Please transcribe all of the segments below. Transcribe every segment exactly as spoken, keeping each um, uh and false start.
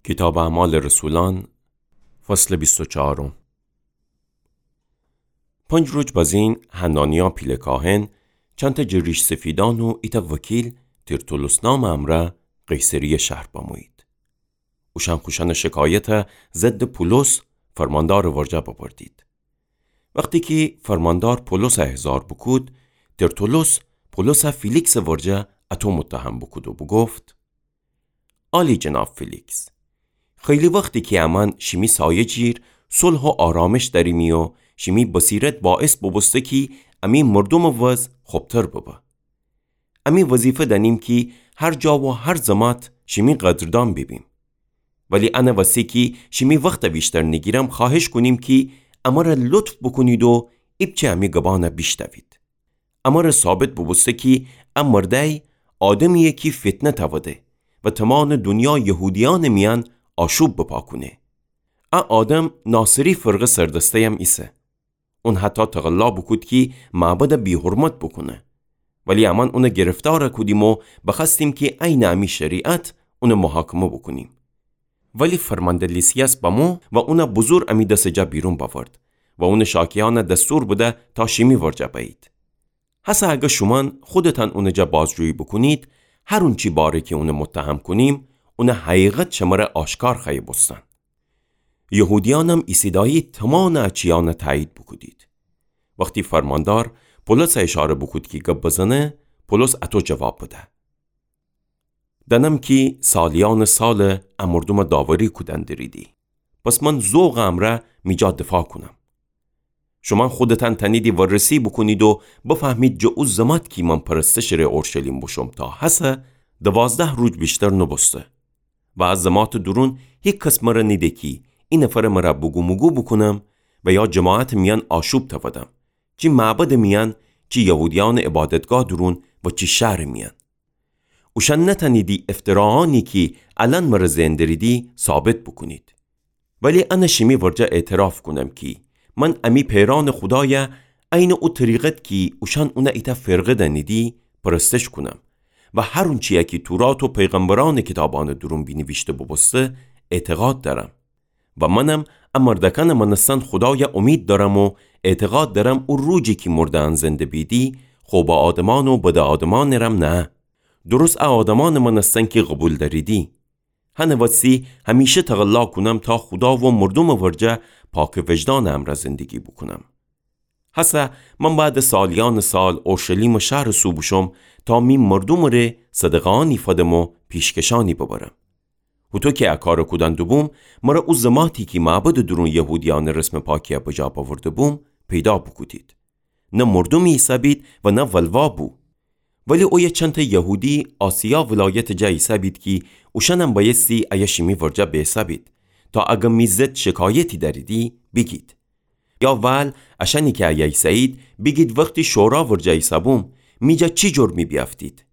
کیتابٚ اعمالٚ رسولأن، فصلٚ بیست و چهارم. پنج روز بزین حنانیا پیله کاهن، چندتأ جٚه ریش‌سفیدأن و ایتأ وکیل ترتولوس نامٚ امرأ قیصریه شهر بمویید. اوشأن خوشأنٚ شکایتَ ضدٚ پولس فرماندارٚ ورجه ببردید. وختی کی فرماندار پولسَ احضار بوکود، ترتولوس پولسَ فیلیکسٚ ورجه اَتو متهم بوکود و بوگفت: عالی جناب فیلیکس، خیلی وختی کی امأن شیمی سایه جیر صلح و آرامش دأریمی و شیمی بصیرت باعث بوبوسته کی امی مردومٚ وضع خبتر ببه. امی وظیفه دأنیم کی هر جا و هر زمات شیمی قدردان بیبیم. ولی انه وسی کی شیمی وختَ ویشتر نیگیرم، خوأهش کونیم کی امره لطف بوکونید و ایپچه امی گبأنَ بیشنوید. امره ثابت بوبوسته کی ا مردأی آدمییه کی فتنه تأوده و تومانٚ دونیا یهودیأنٚ میأن آشوب بپا کونه. ا آدم ناصری فرقه سردسته‌یم ایسه. اون حتی تقلا بوکود کی معبدَ بی‌حرمت بوکونه. ولی امأن اونَ گرفتار کودیم و بخوأستیم کی عینٚ امی شریعت اونَ محاکمه بوکونیم. ولی فرمانده لیسیاس بمو و اونَ بزور امی دسٚ جا بیرون بأورد و اونٚ شاکیأنَ دستور بده تا شیمی ورجه بأیید. هسه اگر شومأن خودتأن اونٚ جا بازجویی بوکونید، هر اونچی باره کی اونَ متهم کونیم، اونٚ حقیقت شمره آشکار خوأیه بوستن. یهودیأنم ایسیدأیید تومانٚ ا چیأنَ تأیید بوکودید. وختی فرماندار پولسَ اشاره بوکود کی گب بزنه، پولس اَتو جواب بده: دأنم کی سالیأنٚ سالٚ ا مردومَ داوری کودن دریدی. پس من ذوقٚ امرأ می جا دفاع کونم. شومأن خودتأن تأنیدی وررسی بوکونید و بفهمید جٚه او زمات کی من پرستشٚ ره اورشلیم بوشوم تا هسه دوازده روز ویشتر نوبوسته. و ا زماتٚ دورون هیکس مره نیده کی ای نفرٚ مره بوگوموگو بوکونم و یا جماعتٚ میأن آشوب تأودم، چی معبدٚ میأن، چی یهودیأنٚ عبادتگاه دورون و چی شهرٚ میأن. اوشأن نتأنیدی افتراأنی کی الأن مره زئن دریدی ثابت بوکونید. ولی انَ شیمی ورجه اعتراف کونم کی من امی پئرأنٚ خودایَ عینٚ او طریقت کی اوشأن اونَ ایتأ فرقه دأنیدی پرستش کونم و هر اونچیی کی تورات و پیغمبرأنٚ کیتابأنٚ دورون بینیویشته بوبوسته اعتقاد دأرم. و منم ا مردأکأنٚ مأنستن خودایَ اومید دأرم و اعتقاد دأرم او روزی کی مرده‌یأن زنده بیدی، خوبٚ آدمأن و بدٚ آدمأنٚ رم نه، درست ا آدمأنٚ مأنستن کی قوبیل دأریدی. هنٚ وسی همیشه تقلا کونم تا خودا و مردومٚ ورجه پاکٚ وجدانٚ امرأ زندگی بوکونم. هسه من بأیدٚ سالیأنٚ سال اورشلیمٚ شهرٚ سو بوشوم تا می مردومٚ ره صدقه‌یأنی فدم و پیشکشأنی ببرم. هوطو کی ا کارَ کودن دوبوم، مره او زماتی کی معبدٚ دورون یهودیأنٚ رسمٚ پاکیَ بجا بأورده بوم، پیدا بوکودید. نه مردومی ایسه‌بید و نه ولوا بو. ولی اویه چندتأ یهودی آسیا ولایتٚ جا ایسه‌بید کی اوشأنم بأیستی ایه شیمی ورجه بیسه‌بید، تا اگر می ضد شکایتی دأریدی، بیگید. یا ول اشأنی کی ایه ایسه‌یید، بیگید وختی شورا ورجه ایسه‌بوم، می جا چی جرمی بیأفتید؟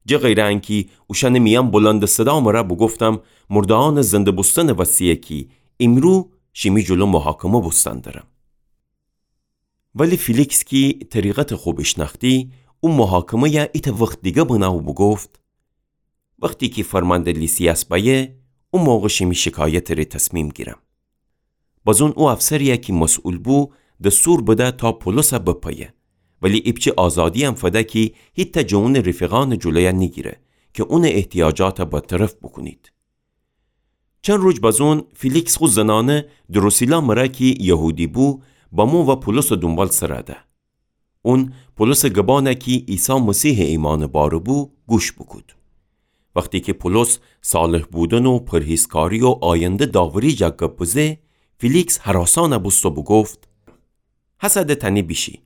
جٚه غیرٚ انکی اوشأنٚ میأن بلندٚ صدا مره بوگفتم، مرده‌یأنٚ زنده بوستنٚ وسییه کی ایمرو شیمی جلو محاکمه بوستن درم. ولی فیلیکس کی طریقتٚ خو بیشنأختی، او محاکمه‌یَ ایتأ وخت دیگر بنه و بوگفت: وختی کی فرمانده لیسیاس بأیه، او موقع شیمی شکایتٚ ره تصمیم گیرم. بازون او افسریی کی مسئول بو، دستور بده تا پولسَ بپیه. ولی ایپچه آزادییم فده کی هیتأ جٚه اونٚ رفیقأنٚ جلویَ نیگیره کی اونٚ احتیاجاتَ برطرف بوکونید. چند روز بازون فیلیکس خو زنأنه دروسیلا مره کی یهودی بو، بمو و پولسٚ دونبال سر ده. اون پولسٚ گبأنَ کی عیسی مسیحٚ ایمأنٚ باره بو، گوش بوکود. وختی کی پولس صالح بودن و پرهیزکاری و آینده داوری جا گب بزه، فیلیکس هراسأنَ بوست و بوگفت: هسه ده تأنی بیشی،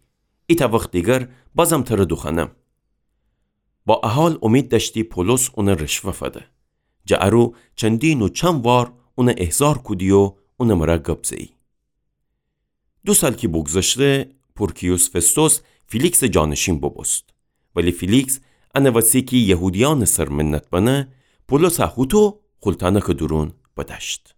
ایتأ وخت دیگر بازم تره دوخوأنم. با ا حال اومید دأشتی پولس اونَ رشوه فده. جٚه ا رو چندین و چند وار اونَ احضار کودی و اونٚ مره گب زه‌یی. دو سال کی بوگذشته، پورکیوس فستوس فیلیکسٚ جانشین بوبوست. ولی فیلیکس انٚ وسی کی یهودیأنٚ سر منت بنه، پولسَ هوطو خولتأنکٚ دورون بدأشت.